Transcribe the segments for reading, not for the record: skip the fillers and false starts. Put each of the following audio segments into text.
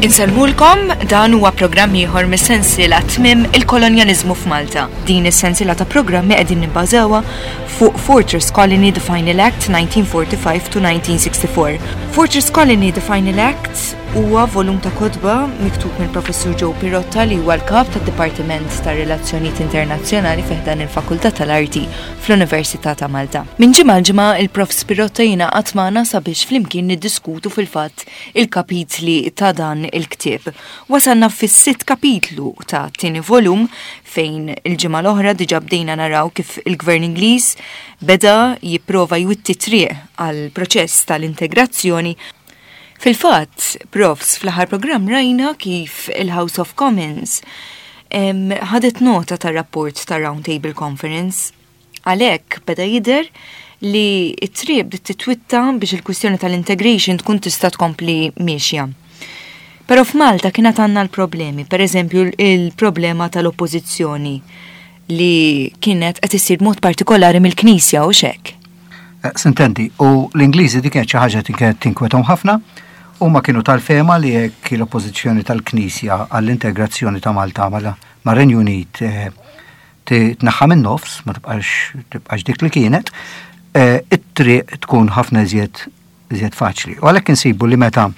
Insellmulkom, dan huwa programm ieħor mis-sensiela Tmiem il-Kolonjaliżmu f'Malta. Din is-sensiela ta' programmi qegħdin nibbażawha fuq Fortress Colony The Final Act 1945 to 1964. Fortress Colony The Final Act huwa volum ta' kotba miktub mill-Professur Joe Pirotta li huwa l-kap tad-Dipartiment ta' Relazzjonijiet Internazzjonali fi ħdan il-Fakultà tal-Arti fl-Università ta' Malta. Minn ġimgħa għal ġimgħa il-Prof Pirotta jingħaqad magħna sabiex flimkien niddiskutu fil-fatt il-kapitli ta' dan il-ktieb. Wasalna fis-sitt kapitlu ta' tieni volum fejn il-ġimgħa l-oħra diġà bdejna naraw kif il-Gvern Ingliż beda jipprova jwitti triq għal proċess tal-integrazzjoni. Fil-fatt, profs, fl-aħħar programm rajna kif il-House of Commons ħadet nota tar-rapport ta' Round Table Conference. Għalhekk beda jidher li t-triq bdiet titwitta biex il-kwistjoni tal-integration tkun tista' tkompli miexja. Però f'Malta kien għad għandna l-problemi, per eżempju il-problema tal-oppożizzjoni li kienet qed issir b'mod partikolari mill-Knisja u xek. Eh, sintendi, u l-Ingliżi dik kienet xi ħaġa kienet tinkwetahom ħafna, huma kienu tal-fehma li jekk l-oppożizzjoni tal-Knisja għall-integrazzjoni ta' Malta mar-Renju Unit eh, titneħħa min-nofs, ma tibqax tibqax dik li kienet, eh, it-triq tkun ħafna iżjed iżjed faċli. U għalhekk insibu li meta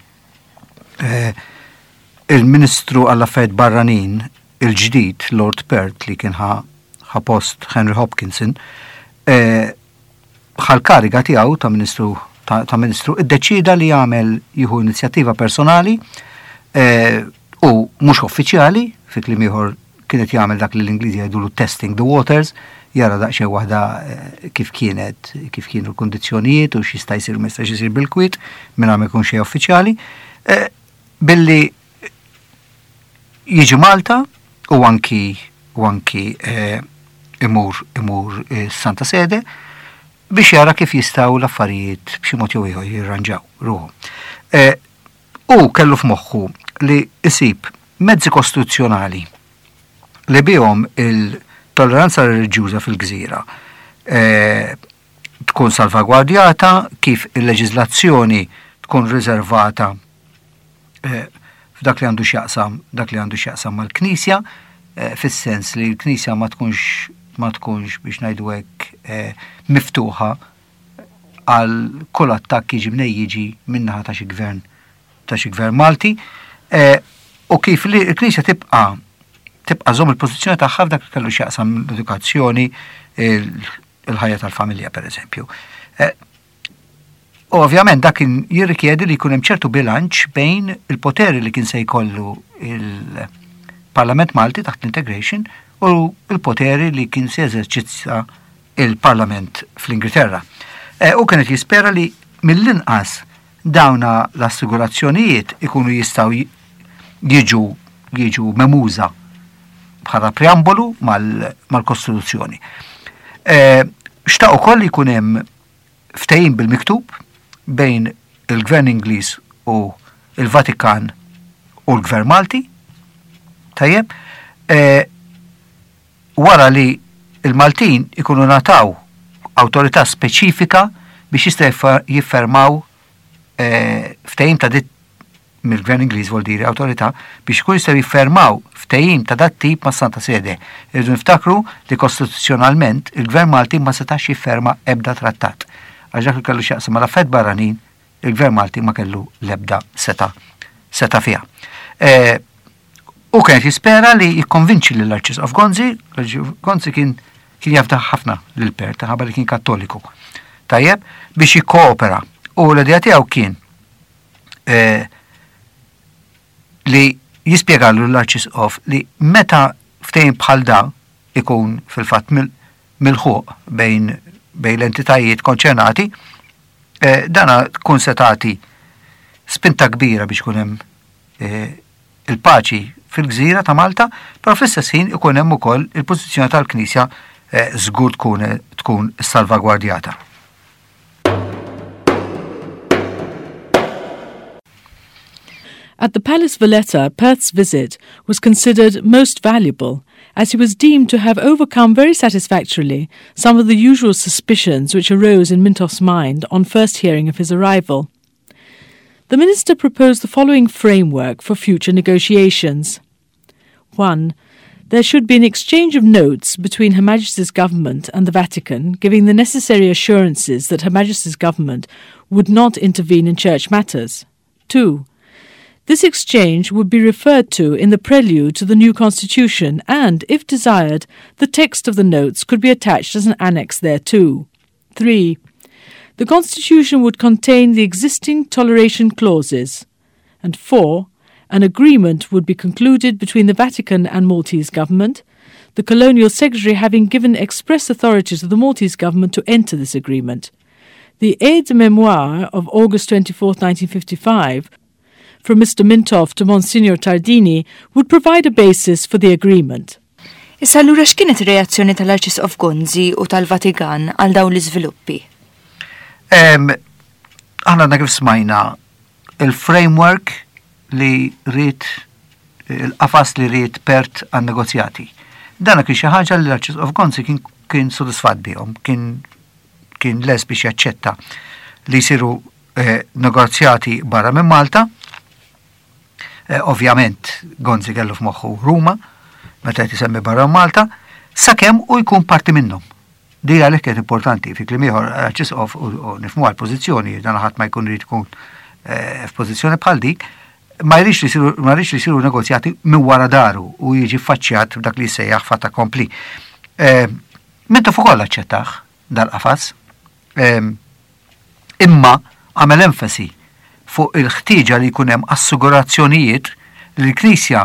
eh, il-Ministru għall-Affarijiet Barranin il-ġdid Lord Perth li kien ħa post Henry Hopkinson, eh, ħa l-kariga tiegħu ta' Ministru ta' Ministru iddeċida li jagħmel jieħu inizjattiva personali eh, u mhux uffiċjali, fi kliem ieħor kienet jagħmel dak li l-Ingliżi jgħidulu testing the waters, jara daqsxejn waħda eh, kif kienet, kif kienu l-kundizzjonijiet u x'jista' jsir ma jistax isir bil-kwiet mingħajr ma jkun xejn uffiċjali, eh, billi jiġi Malta u anki u anki eh, imur imur Santa Sede biex jara kif jistgħu l-affarijiet b'xi mod jew ieħor jirranġaw ruħhom. U kellu f'moħħu li jsib mezzi kostituzzjonali li bihom il-tolleranza reliġjuża fil-gżira eh, tkun salvagwardjata, kif il-leġiżlazzjoni tkun riservata eh, f'dak li għandu x'jaqsam dak li għandu x'jaqsam mal-Knisja, eh, fis-sens li l-Knisja ma tkunx ma tkunx biex ngħidu hekk miftuħa għal kull attakk jiġi mnej jiġi min-naħa ta' xi gvern ta' xi gvern Malti eh, u kif li l-Knisja tibqa' tibqa' żomm il-pożizzjoni tagħha f'dak li kellu x'jaqsam l-edukazzjoni, il-ħajja tal-familja pereżempju. Eh, u ovvjament dak kien jirrikjedi li jkun hemm ċertu bilanċ bejn il-poteri li kien se jkollu il-Parlament Malti taħt l-integration u l-poteri li kien se jeżerċizza il-Parlament fl-Ingilterra. Eh, u kienet jispera li mill-inqas dawna l-assigurazzjonijiet ikunu jistgħu jiġu jiġu memuża bħala preambolu mal-Kostituzzjoni. Eh, xtaq ukoll li jkun hemm ftehim bil-miktub bejn il-Gvern Ingliż u il-Vatikan u l-Gvern Malti. Tajjeb, eh, wara li l-Maltin ikunu ngħataw awtorità speċifika biex jistgħu jiffermaw ftehim ta' dit mill-Gvern Ingliż vuol dire awtorità biex ikunu jistgħu jiffermaw ftehim ta' dat tip mas-Santa Sede. Irridu niftakru li kostituzzjonalment il-Gvern Malti ma setax jifferma ebda trattat għax dak li kellu x'jaqsam mal-affarijiet barranin il-Gvern Malti ma kellu l-ebda setgħa setgħa fiha. Hu kien qed jispera li jikkonvinċi lill-Arċisqof Gonzi, Gonzi kien kien jafda ħafna lil Perth minħabba li kien Kattoliku. Tajjeb, biex jikkoopera. U l-idea tiegħu kien eh, li jispjegalu l-Arċisqof li meta ftehim bħal da ikun fil-fatt milħuq bejn bejn l-entitajiet konċernati, eh, dana tkun se tagħti spinta kbira biex ikun hemm eh, il-paċi fil-gżira ta' Malta, però fl-istess ħin ikun hemm ukoll il-pożizzjoni tal-Knisja eh, żgur tkun tkun salvagwardjata. At the Palace Valletta, Perth's visit was considered most valuable, as he was deemed to have overcome very satisfactorily some of the usual suspicions which arose in Mintoff's mind on first hearing of his arrival. The minister proposed the following framework for future negotiations. 1. There should be an exchange of notes between Her Majesty's government and the Vatican, giving the necessary assurances that Her Majesty's government would not intervene in church matters. 2. This exchange would be referred to in the prelude to the new constitution and, if desired, the text of the notes could be attached as an annex thereto. 3. The constitution would contain the existing toleration clauses. And 4. An agreement would be concluded between the Vatican and Maltese government, the colonial secretary having given express authority to the Maltese government to enter this agreement. The aide memoire of August 24, 1955, from Mr. Mintoff to Monsignor Tardini would provide a basis for the agreement. Issa allura x'kienet ir-reazzjoni tal-Arċisqof Gonzi u tal-Vatikan għal dawn l-iżviluppi? Aħna għadna kif smajna il-framework li ried il-qafas li ried Perth għan-negozjati. Dana kien xi ħaġa li l-Arċisqof Gonzi kien kien sodisfatt bihom, kien kien les biex jaċċetta li jsiru eh, negozjati barra minn Malta. Eh, ovvjament Gonzi kellu f'moħħu Ruma, meta qed isemmi barra Malta, sakemm u jkun parti minnhom. Di għalhekk kienet importanti, fi kliem ieħor Arċisqof u nifhmu għall-pożizzjoni, dan ħadd ma jkun irid ikun eh, f'pożizzjoni bħal dik, ma jridx li jsiru ma jridx li jsiru negozjati minn wara daru u jiġi ffaċċjat b'dak li jsejjaħ fatt accompli. Eh, Mintoff ukoll aċċettah dal-qafas. Imma għamel enfasi fuq il-ħtieġa li jkun hemm assigurazzjonijiet li l-Knisja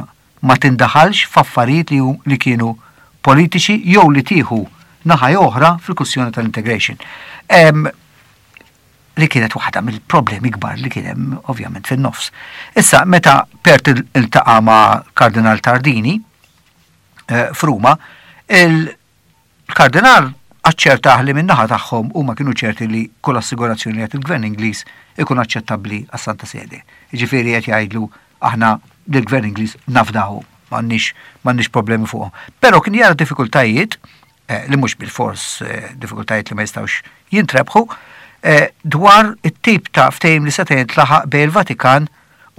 ma tindaħalx f'affarijiet li li kienu politiċi jew li tieħu naħa jew oħra fil-kwistjoni tal-integration. Li kienet waħda mill-problemi kbar li kien hemm ovvjament fin-nofs. Issa meta Perth iltaqa' ma' Kardinal Tardini eh, f'Ruma, Il-Kardinal aċċertah li min-naħa tagħhom huma kienu ċerti li kull assigurazzjoni li jagħti l-Gvern Ingliż ikun aċċettabbli għas-Santa Sede. Jiġifieri qed jgħidlu aħna lill-Gvern Ingliż nafdawhom, m'għandniex m'għandniex problemi fuqhom. Però kien jara diffikultajiet eh, li mhux bilfors eh, diffikultajiet li ma jistgħux jintrebħu eh, dwar it-tip ta' ftehim li seta' jintlaħaq bejn il-Vatikan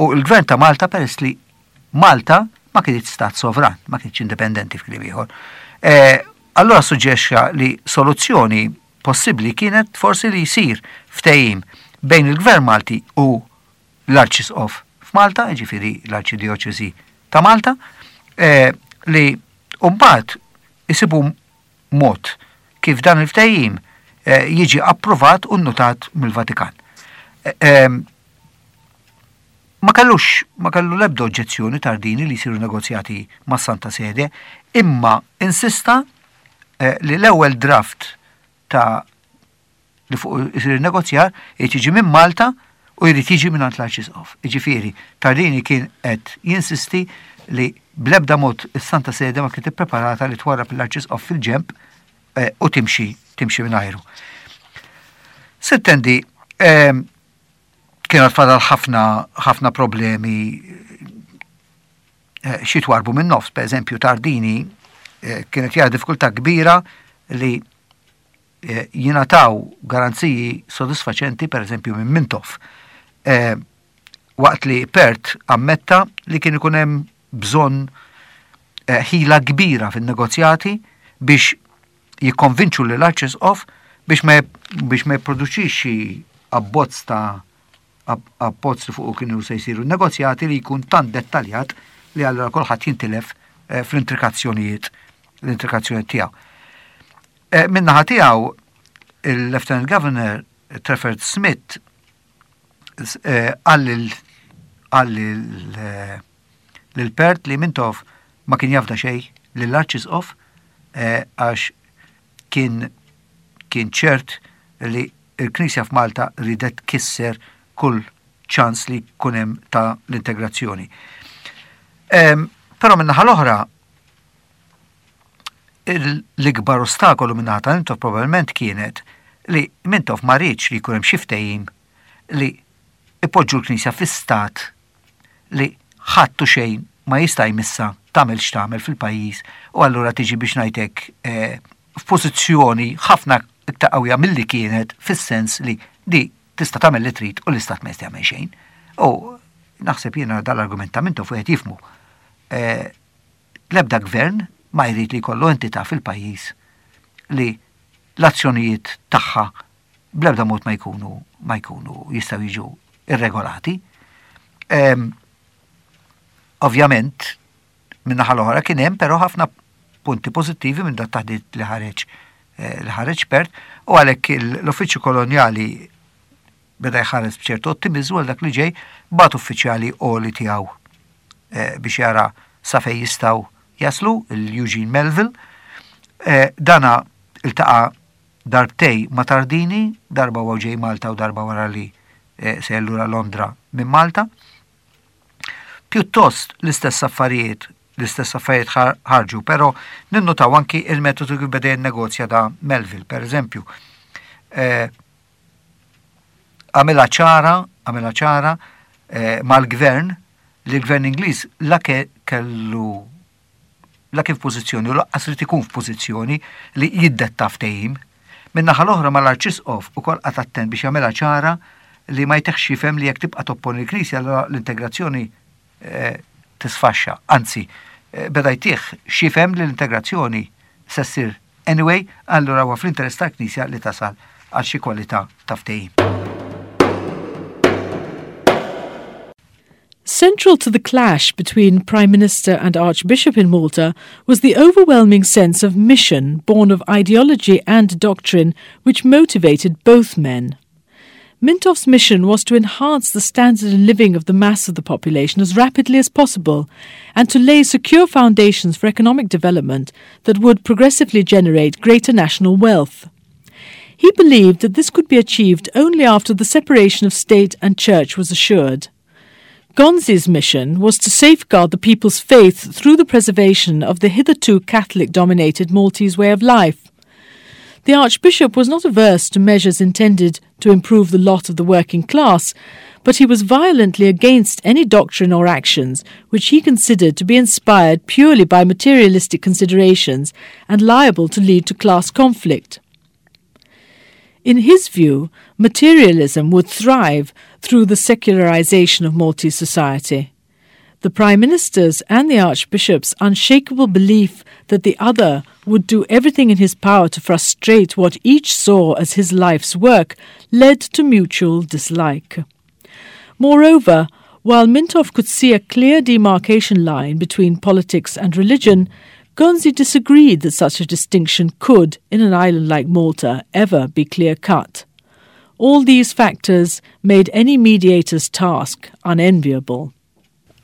u l-Gvern ta' Malta peress li Malta ma kinitx stat sovran, ma kinitx indipendenti fi kliem ieħor. Eh, allura suġġexxa li soluzzjoni possibbli kienet forsi li jsir ftehim bejn il-Gvern Malti u l-Arċisqof f'Malta, jiġifieri l-Arċidjoċesi ta' Malta, eh, li mbagħad isibu mod kif dan il-ftehim eh, jiġi approvat u nnotat mill-Vatikan. Ma kellux, ma kellu l-ebda oġġezzjoni Tardini li jsiru negozjati mas-Santa Sede, imma insista eh, li l-ewwel draft ta' li fuq isir negozjar irid jiġi minn Malta u jrid jiġi minn l-Arċisqof. Jiġifieri, Tardini kien qed jinsisti li bl-ebda mod is-Santa Sede ma kienet ippreparata li twarrab l-Arċisqof fil-ġemp eh, u timxi timxi minn Sittendi, eh, Kien għad fadal ħafna ħafna problemi eh, xi twarbu minn nofs, per eżempju Tardini eh, kienet jara diffikultà kbira li eh, jingħataw garanziji sodisfaċenti per eżempju minn Mintoff. Waqt li Perth ammetta li kien ikun hemm bżonn ħila kbira fin-negozjati biex jikkonvinċu lil Arċisqof biex ma biex ma jipproduċix xi abbozz ta' abbozz li fuqu kienu se jsiru negozjati li jkun tant dettaljat li allura kulħadd jintilef eh, fl-intrikazzjonijiet l-intrikazzjoni tiegħu. Eh, min-naħa tiegħu il-Lieutenant Governor Trefford Smith eh, qal lil Perth li Mintoff ma kien jafda xejn lill-Arċisqof eh, għax kien kien ċert li l-Knisja f'Malta ridet tkisser kull ċans li jkun hemm ta' l-integrazzjoni. Però min-naħa l-oħra l-ikbar ostakolu min-naħa ta' Mintoff probabbilment kienet li Mintoff ma riedx li jkun hemm xi ftehim li ipoġġu l-Knisja fi stat li ħadd u xejn ma jista' jmissha tagħmel x'tagħmel fil-pajjiż u allura tiġi biex ngħid hekk eh, f'pożizzjoni ħafna iktar qawwija milli kienet fis-sens li di tista' tagħmel li trid u l-istat ma jista' jagħmel xejn. U naħseb jiena dal-argument ta' Mintoff wieħed jifhmu. Eh, l-ebda gvern ma jrid li jkollu entità fil-pajjiż li l-azzjonijiet tagħha bl-ebda mod ma jkunu ma jkunu jistgħu jiġu irregolati. Ehm, ovvjament, min-naħa l-oħra kien hemm però ħafna punti pożittivi minn dat taħdit li ħareġ eh, li ħareġ Perth u għalhekk l-uffiċċju kolonjali beda jħares b'ċertu ottimiżmu għal dak li ġej bagħat uffiċjali għoli tiegħu eh, biex jara sa fejn jistgħu jaslu l-Eugene Melville. Eh, dana iltaqa' darbtej ma' Tardini, darba huwa ġej Malta u darba wara li sejjer lura Londra minn Malta. Pjuttost l-istess affarijiet, l-istess affarijiet ħarġu, però ninnutaw anki il-metodu kif beda jinnegozja da Melville, per eżempju. Eh, għamilha ċara, għamilha ċara eh, mal-gvern li l-gvern Ingliż la kellu la kien f'pożizzjoni u laqqas irid ikun f'pożizzjoni li jiddetta ftehim. Min-naħa l-oħra mal-Arċisqof ukoll qagħad attent biex jagħmilha ċara li ma jtihx jifhem li jekk tibqa' topponi l-Knisja allura l-integrazzjoni eh, tisfaxxa. Anzi, eh, beda jtih x'jifhem li l-integrazzjoni se ssir anyway, allura huwa fl-interess tal-Knisja li tasal għal xi kwalità ta' ftehim. Central to the clash between Prime Minister and Archbishop in Malta was the overwhelming sense of mission born of ideology and doctrine which motivated both men. Mintoff's mission was to enhance the standard of living of the mass of the population as rapidly as possible and to lay secure foundations for economic development that would progressively generate greater national wealth. He believed that this could be achieved only after the separation of state and church was assured. Gonzi's mission was to safeguard the people's faith through the preservation of the hitherto Catholic dominated Maltese way of life. The Archbishop was not averse to measures intended to improve the lot of the working class, but he was violently against any doctrine or actions which he considered to be inspired purely by materialistic considerations and liable to lead to class conflict. In his view, materialism would thrive through the secularization of Maltese society. The Prime Minister's and the Archbishop's unshakable belief that the other would do everything in his power to frustrate what each saw as his life's work led to mutual dislike. Moreover, while Mintoff could see a clear demarcation line between politics and religion, Gonzi disagreed that such a distinction could, in an island like Malta, ever be clear cut. All these factors made any mediator's task unenviable.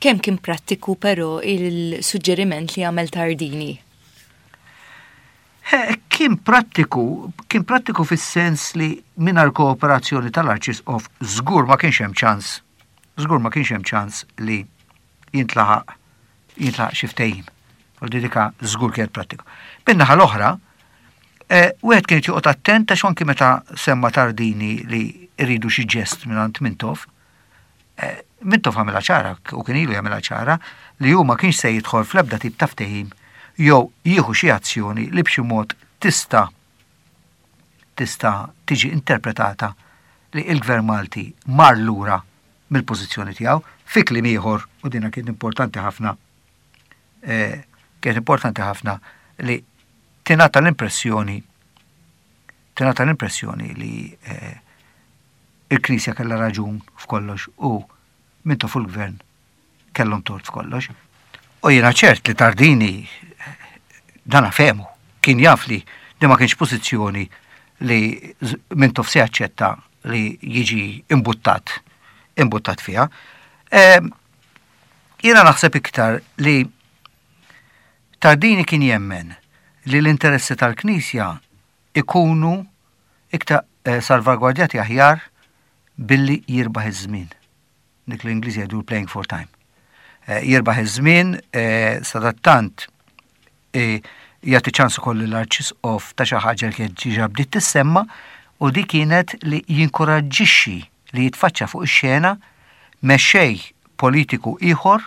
Kemm kien prattiku però il-suġġeriment li għamel Tardini? Kien prattiku, kien prattiku fis-sens li mingħajr kooperazzjoni tal-Arċisqof żgur ma kienx hemm ċans, żgur ma kienx hemm ċans li jintlaħaq jintlaħaq xi ftehim. U dika żgur kienet prattiku. Min-naħa l-oħra, eh, wieħed kien joqgħod attent għax anki meta semma Tardini li rridu xi ġest mingħand Mintoff, eh, Mintoff għamilha ċara u kien ilu jagħmilha ċara li hu ma kienx se jidħol fl-ebda tip ta' ftehim jew jieħu xi azzjoni li b'xi mod tista' tista' tiġi interpretata li il-Gvern Malti mar lura mill-pożizzjoni tiegħu fi kliem ieħor u dina kien importanti ħafna eh, kienet importanti ħafna li tingħata l-impressjoni tingħata l-impressjoni li eh, il-Knisja kellha raġun f'kollox u Mintoff u l-gvern kellhom tort f'kollox. U jiena ċert li Tardini dana fehmu, kien jaf li di ma kienx pożizzjoni li Mintoff se jaċċetta li jiġi imbuttat imbuttat fiha. Ehm, jiena naħseb iktar li Tardini kien jemmen li l-interessi tal-Knisja ikunu iktar eh, salvagwardjati aħjar billi jirbaħ iż-żmien. Dik l-Ingliż jgħidu playing for time. Eh, jirbaħ iż-żmien eh, sadattant eh, jagħti ċans ukoll l-Arċisqof ta' xi ħaġa li kienet diġà bdiet tissemma u di kienet li jinkoraġġixxi li jitfaċċa fuq ix-xena mexxej politiku ieħor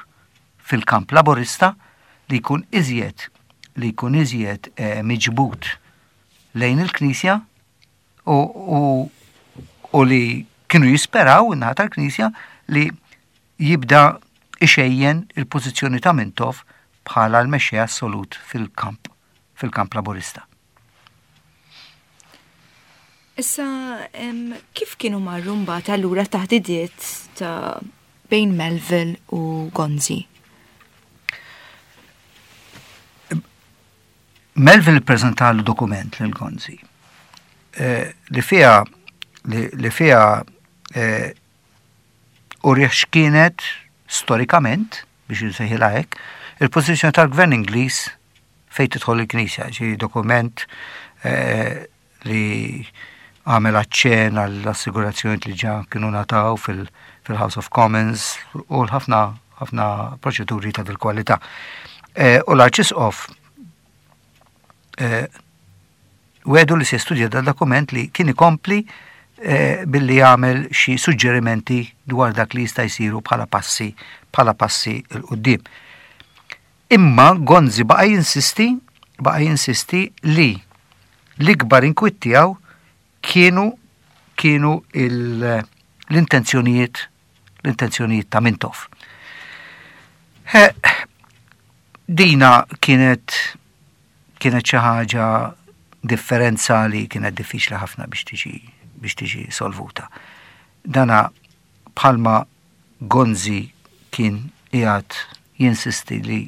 fil-kamp laborista li jkun iżjed li jkun iżjed miġbud lejn il-Knisja u, u, u li kienu jisperaw in-naħa tal-Knisja li jibda ixejjen il-pożizzjoni ta' Mintoff bħala l-mexxej assolut fil-kamp fil-kamp Laburista. Issa, kif kienu marru mbagħad allura taħdidiet ta' bejn Melville u Gonzi? Melville ppreżentalu dokument lil Gonzi eh, li fiha li fiha eh, urih x'kienet storikament biex insejħilha hekk, il-pożizzjoni tal-Gvern Ingliż fejn tidħol il-Knisja, ġi dokument eh, li għamel aċċen għall-assigurazzjoni li ġa kienu nataw fil-House of Commons u l-ħafna ħafna proċeduri ta' dil-kwalità. Eh, u l-Arċisqof eh, wedu li se studja dal dokument li kien ikompli eh, billi jagħmel xi suġġerimenti dwar dak li jista' jsiru bħala passi bħala passi 'l quddiem. Imma Gonzi baqa' jinsisti baqa' jinsisti li l-ikbar inkwiet tiegħu kienu kienu l-intenzjonijiet l-intenzjonijiet ta' Mintoff. Dina kienet kienet xi ħaġa differenza li kienet diffiċli ħafna biex tiġi biex tiġi solvuta. Dana bħalma Gonzi kien qiegħed jinsisti li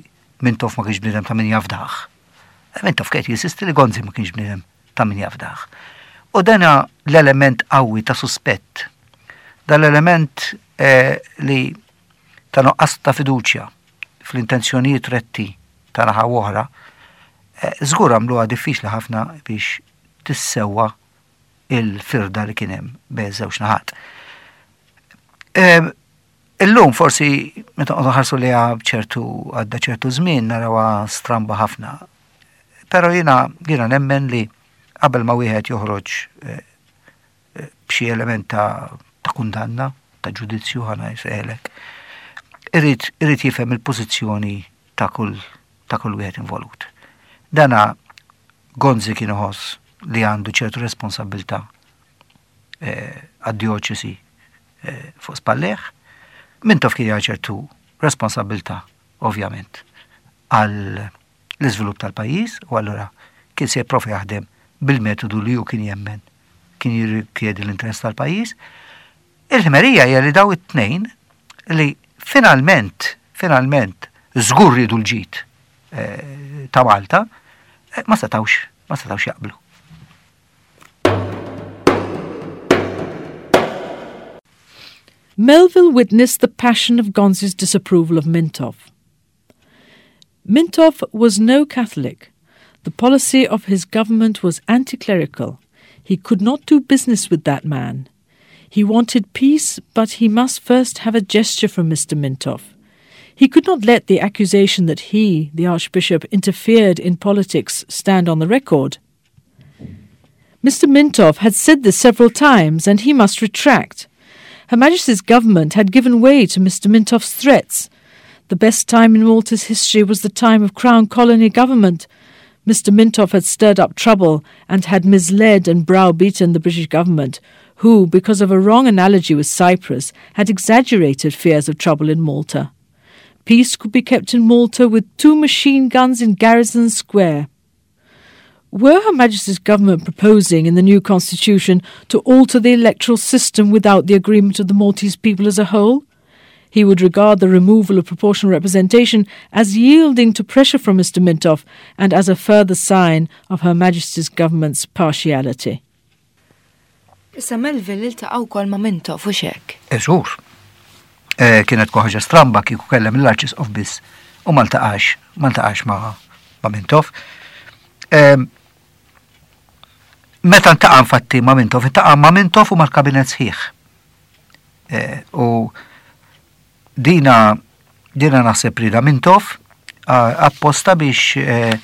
Mintoff ma kienx bniedem ta' min jafdah. Mintoff kien jinsisti li Gonzi ma kienx bniedem ta' min jafdah. U dana l-element qawwi ta' suspett, dan l-element eh, li ta' nuqqas ta' fiduċja fl-intenzjonijiet retti ta' naħa oħra, eh, żgur għamluha diffiċli ħafna biex tissewwa il-firda li kien hemm bejn żewġ naħat. Ehm, illum forsi meta nqogħdu ħarsu liha ċertu għadda ċertu żmien narawha stramba ħafna. Però jiena jiena nemmen li qabel ma wieħed joħroġ eh, eh, b'xi element ta', ta kundanna, ta' ġudizzju ħana jseħlek, irid irid jifhem il-pożizzjoni ta' kull ta' kull wieħed involut. Dana Gonzi kien iħoss li għandu ċertu responsabbiltà eh, għad-djoċesi eh, fuq spallejh, Mintoff kien ċertu responsabbiltà, ovvjament, għal l-iżvilupp tal-pajjiż u allura kien se jipprova jaħdem bil-metodu li hu kien jemmen kien jirrikjedi l-interess tal-pajjiż. Il-ħmerija hija li daw it-tnejn li finalment, finalment, żgur ridu l-ġid eh, ta' Malta, eh, ma setawx, ma setawx jaqblu. Melville witnessed the passion of Gonzi's disapproval of Mintoff. Mintoff was no Catholic. The policy of his government was anti clerical. He could not do business with that man. He wanted peace, but he must first have a gesture from Mr. Mintoff. He could not let the accusation that he, the Archbishop, interfered in politics stand on the record. Mr. Mintoff had said this several times, and he must retract. Her Majesty's government had given way to Mr. Mintoff's threats. The best time in Malta's history was the time of Crown Colony government. Mr. Mintoff had stirred up trouble and had misled and browbeaten the British government, who, because of a wrong analogy with Cyprus, had exaggerated fears of trouble in Malta. Peace could be kept in Malta with two machine guns in Garrison Square. Were Her Majesty's government proposing in the new constitution to alter the electoral system without the agreement of the Maltese people as a whole? He would regard the removal of proportional representation as yielding to pressure from Mr. Mintoff and as a further sign of Her Majesty's government's partiality. Issa Melville iltaqa' wkoll ma' Mintoff u xek. Eżur. Eh, kienet tkun ħaġa stramba kieku kellem l-Arċisqof biss u ma ltaqax, ma ltaqax ma' ma' Mintoff. Ehm, meta ntaqa' infatti ma' Mintoff, intaqa' ma' Mintoff u mal-kabinet sħiħ. Eh, u dina dina naħseb rida Mintoff apposta biex eh,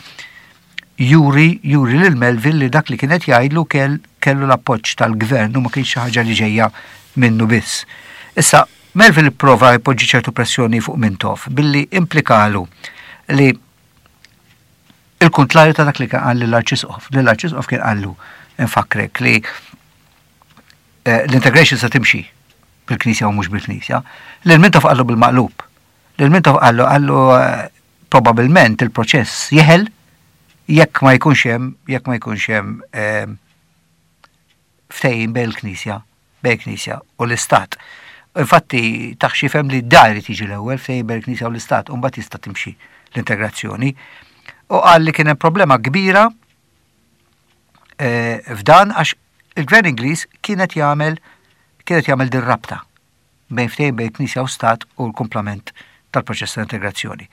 juri juri lil Melville li dak li kienet jgħidlu kell kellu l-appoġġ tal-gvern u ma kienx xi ħaġa li ġejja minnu biss. Issa, Melville ipprova jpoġġi ċertu pressjoni fuq Mintoff billi implikalu li il-kuntrarju ta' dak li kien qal lill-Arċisqof. Lill-Arċisqof kien qallu, infakkrek, li eh, l-integration se timxi. bil-Knisja u mhux bil-Knisja. Lil Mintoff qallu bil-maqlub. Lil Mintoff qallu qallu eh, probabbilment il-proċess jeħel jekk ma jkunx hemm jekk ma jkunx hemm eh, ftehim bejn il-Knisja bejn il-Knisja u l-Istat. Infatti tah x'jifhem li da jrid jiġi l-ewwel ftehim bejn il-Knisja u l-Istat u mbagħad jista' timxi l-integrazzjoni. U qal li kien hemm problema kbira eh, f'dan għax il-Gvern Ingliż kienet jagħmel kienet jagħmel din rabta bejn ftehim bejn Knisja u Stat u l-kumplament tal-proċess ta' integrazzjoni.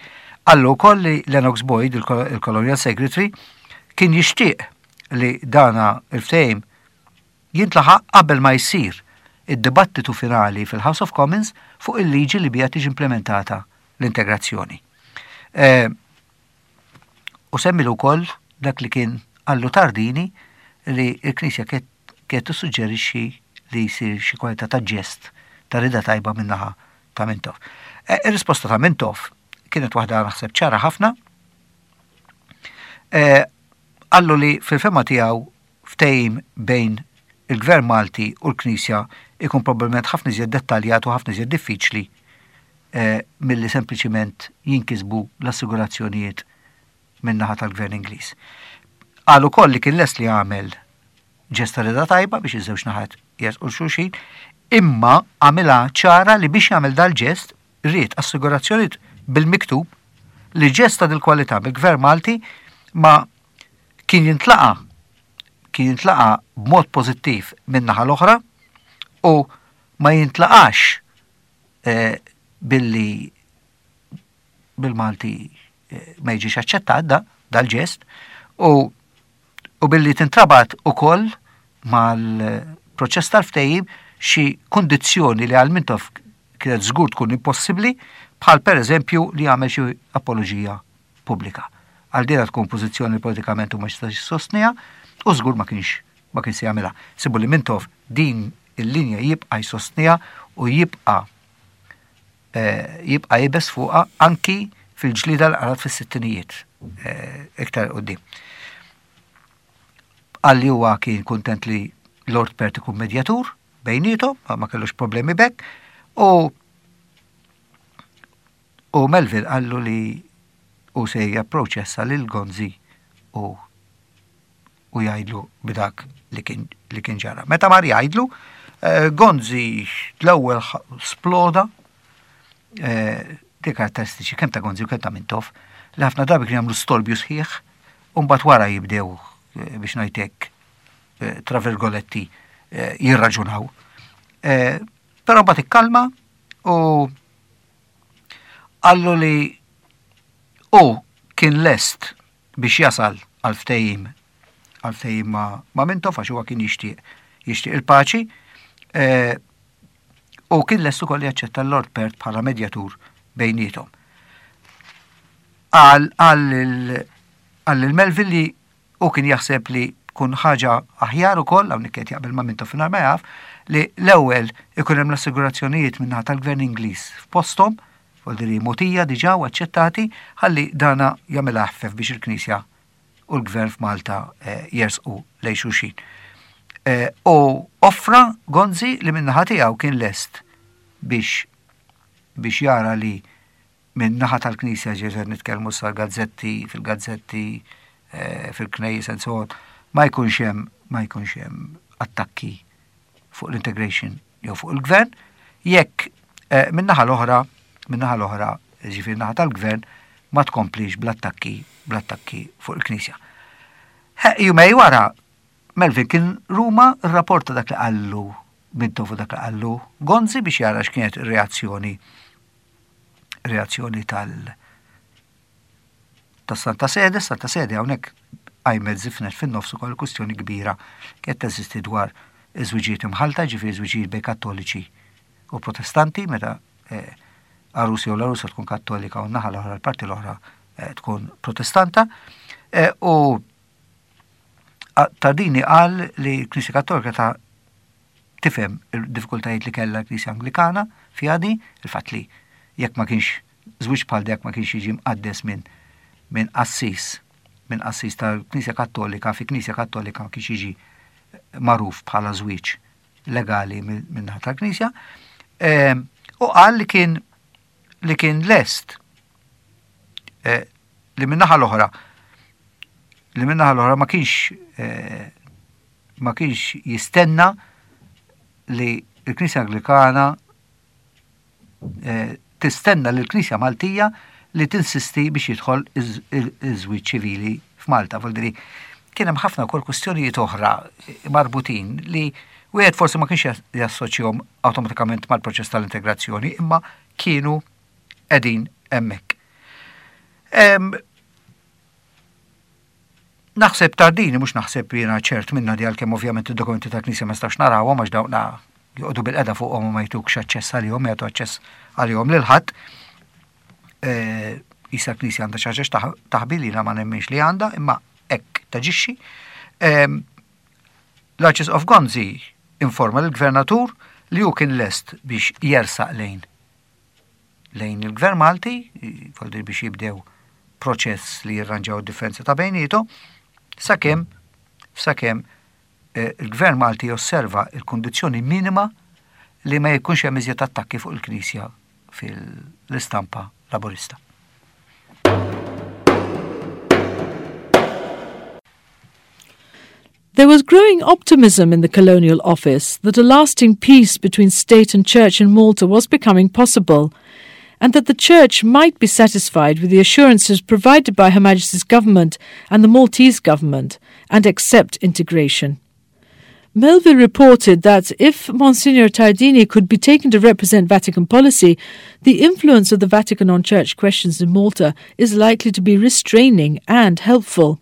Qallu wkoll li Lennox Boyd, il-Colonial Secretary, kien jixtieq li dana il-ftehim jintlaħaq qabel ma jsir id-dibattitu finali fil-House of Commons fuq il-liġi li biha tiġi implementata l-integrazzjoni. Eh, u semmilu wkoll dak li kien qallu Tardini li l-Knisja kienet tissuġġerixxi li jsir xi kwalità ta' ġest ta' rida tajba min-naħa ta' Mintoff. E, ir-risposta ta' Mintoff kienet waħda naħseb ċara ħafna. E, qallu li fil-fema tiegħu ftehim bejn il-Gvern Malti u l-Knisja ikun probabbilment ħafna iżjed dettaljat u ħafna iżjed diffiċli e, milli sempliċiment jinkisbu l-assigurazzjonijiet min-naħa tal-Gvern Ingliż. Qal ukoll li kien lest li jagħmel ġest ta' rida tajba biex iż-żewġ naħat jersqu xulxin, imma għamilha ċara li biex jagħmel dal-ġest ried assigurazzjonijiet bil-miktub li ġest ta' dil-kwalità mill-Gvern Malti ma kien jintlaqa kien jintlaqa b'mod pożittiv min-naħa l-oħra u ma jintlaqax eh, billi bil-Malti eh, ma jiġix aċċettat da dal-ġest u u billi tintrabat ukoll mal-proċess tal-ftehim xi kundizzjoni li għal Mintoff kienet żgur tkun impossibbli bħal pereżempju li jagħmel xi apoloġija pubblika. Għal dina tkun pożizzjoni li politikament u ma jistax jsostniha u żgur ma kienx ma kien se jagħmilha. Sibu li Mintoff din il-linja jibqa' jsostniha u jibqa' Eh, jibqa' jibes fuqha anki fil-ġlida l qarat fis-sittinijiet eh, iktar qudiem. Qal li huwa kien kuntent li Lord Perth ikun medjatur bejnietom, ma kellux problemi bekk, u u Melville qallu li u se japproċessa lil Gonzi u u jgħidlu b'dak li kien li kien ġara. Meta mar jgħidlu, eh, Gonzi l-ewwel sploda eh, di karatteristiċi kemm ta' Gonzi u kemm ta' Mintoff li ħafna drabi kien jagħmlu storbju sħiħ u mbagħad wara jibdew eh, biex ngħidlek tra virgoletti jirraġunaw. Però mbagħad ikkalma u qallu li u kien lest biex jasal għal ftehim għal ftehim ma', ma Mintoff għax huwa kien jixtieq jixtieq il-paċi e, u kien lest ukoll jaċċetta l-Lord Perth bħala medjatur bejniethom. Qal qal lil Melville li u kien jaħseb li tkun ħaġa aħjar ukoll hawnhekk qed jaqbel ma' Mintoff mingħajr ma jaf li l-ewwel ikun hemm l-assigurazzjonijiet min-naħa tal-Gvern Ingliż f'posthom Vuol mogħtija diġà u aċċettati ħalli dana jagħmilha eħfef biex il-Knisja u l-Gvern f'Malta eh, jersqu lejn xulxin. Eh, u offra Gonzi li min-naħa tiegħu kien lest biex biex jara li minn naħa tal-Knisja ġeżer nitkellmu sal gazzetti fil-gazzetti eh, fil-knejjes and so on, ma jkunx hemm ma jkunx hemm attakki fuq l-integration jew fuq il-gvern, jekk eh, min-naħa l-oħra, min-naħa l-oħra, ġifieri naħa tal-gvern, ma tkomplix bl-attakki bl-attakki fuq il-Knisja. Jumej wara, Melvin kien Ruma rrapporta dak li qallu Mintoff u dak li qallu Gonzi biex jara x'kienet ir-reazzjoni reazzjoni tal tas-Santa Sede, Santa Sede hawnhekk qajmet żifnet fin-nofs ukoll kwistjoni kbira kienet teżisti dwar iż-żwiġijiet imħallta, ġifieri żwiġijiet bejn Kattoliċi u Protestanti, meta eh, għarus jew l-għarusa tkun Kattolika u n-naħa l-oħra l-parti l-oħra eh, tkun Protestanta. Eh, u Tardini qal li l-Knisja Kattolika ta' tifhem il-diffikultajiet li kellha l-Knisja Anglikana fiha di, il-fatt li jekk ma kienx żwieġ bħal dak ma kienx jiġi mqaddes minn minn qassis minn qassis tal-Knisja Kattolika fi Knisja Kattolika ma kienx jiġi magħruf bħala żwieġ legali minn naħa tal-Knisja. U qal li kien li kien lest eh, li minnaħa l-oħra li minnaħa l-oħra ma kienx eh, ma kienx jistenna li l-Knisja Anglikana eh, tistenna li l-Knisja Maltija li tinsisti biex jidħol iż-żwieġ ċivili f'Malta. Vuldiri, kien hemm ħafna wkoll kwistjonijiet oħra marbutin li wieħed forsi ma kienx jassoċjahom awtomatikament mal-proċess tal-integrazzjoni, imma kienu qegħdin hemmhekk. Naħseb Tardini, mhux naħseb jiena ċert minna di għalkemm ovvjament id-dokumenti tal-Knisja ma nistax narawhom għax dawna joqogħdu bil-qeda fuqhom u ma jtukx aċċess għalihom, jagħtu aċċess għalihom lil ħadd. Eh, Isa l-Knisja għandha xi ħaġa taħbi li ma nemminx li għandha, imma hekk taġixxi. Ehm, L-Arċisqof Gonzi informa lill-Gvernatur li hu kien lest biex jersaq lejn lejn il-Gvern Malti, voldir biex jibdew proċess li jirranġaw id-differenzi ta' bejnietom, sakemm sakemm eh, il-Gvern Malti josserva il-kundizzjoni minima li ma jkunx hemm iżjed attakki fuq il-Knisja fil-istampa Laburista. There was growing optimism in the Colonial Office that a lasting peace between state and church in Malta was becoming possible, and that the church might be satisfied with the assurances provided by Her Majesty's government and the Maltese government and accept integration. Melville reported that if Monsignor Tardini could be taken to represent Vatican policy, the influence of the Vatican on church questions in Malta is likely to be restraining and helpful.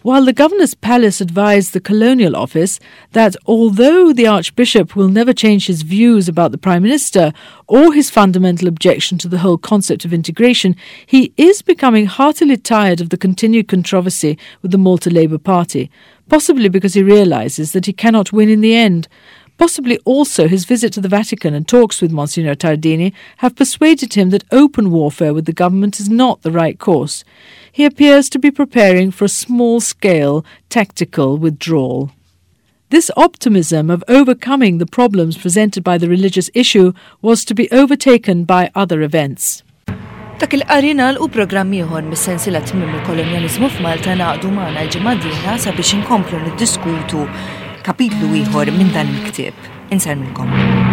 While the governor's palace advised the colonial office that although the archbishop will never change his views about the prime minister or his fundamental objection to the whole concept of integration, he is becoming heartily tired of the continued controversy with the Malta Labour Party, possibly because he realizes that he cannot win in the end. Possibly also his visit to the Vatican and talks with Monsignor Tardini have persuaded him that open warfare with the government is not the right course. He appears to be preparing for a small scale tactical withdrawal. This optimism of overcoming the problems presented by the religious issue was to be overtaken by other events. Dak il-qari nagħlqu programm ieħor mis-sensiela Tmiem il-Kolonjaliżmu f'Malta ngħaqdu magħna l-ġimgħa d-dieħla sabiex inkomplu niddiskutu kapitlu ieħor minn dan il-ktieb. Insellmilkom.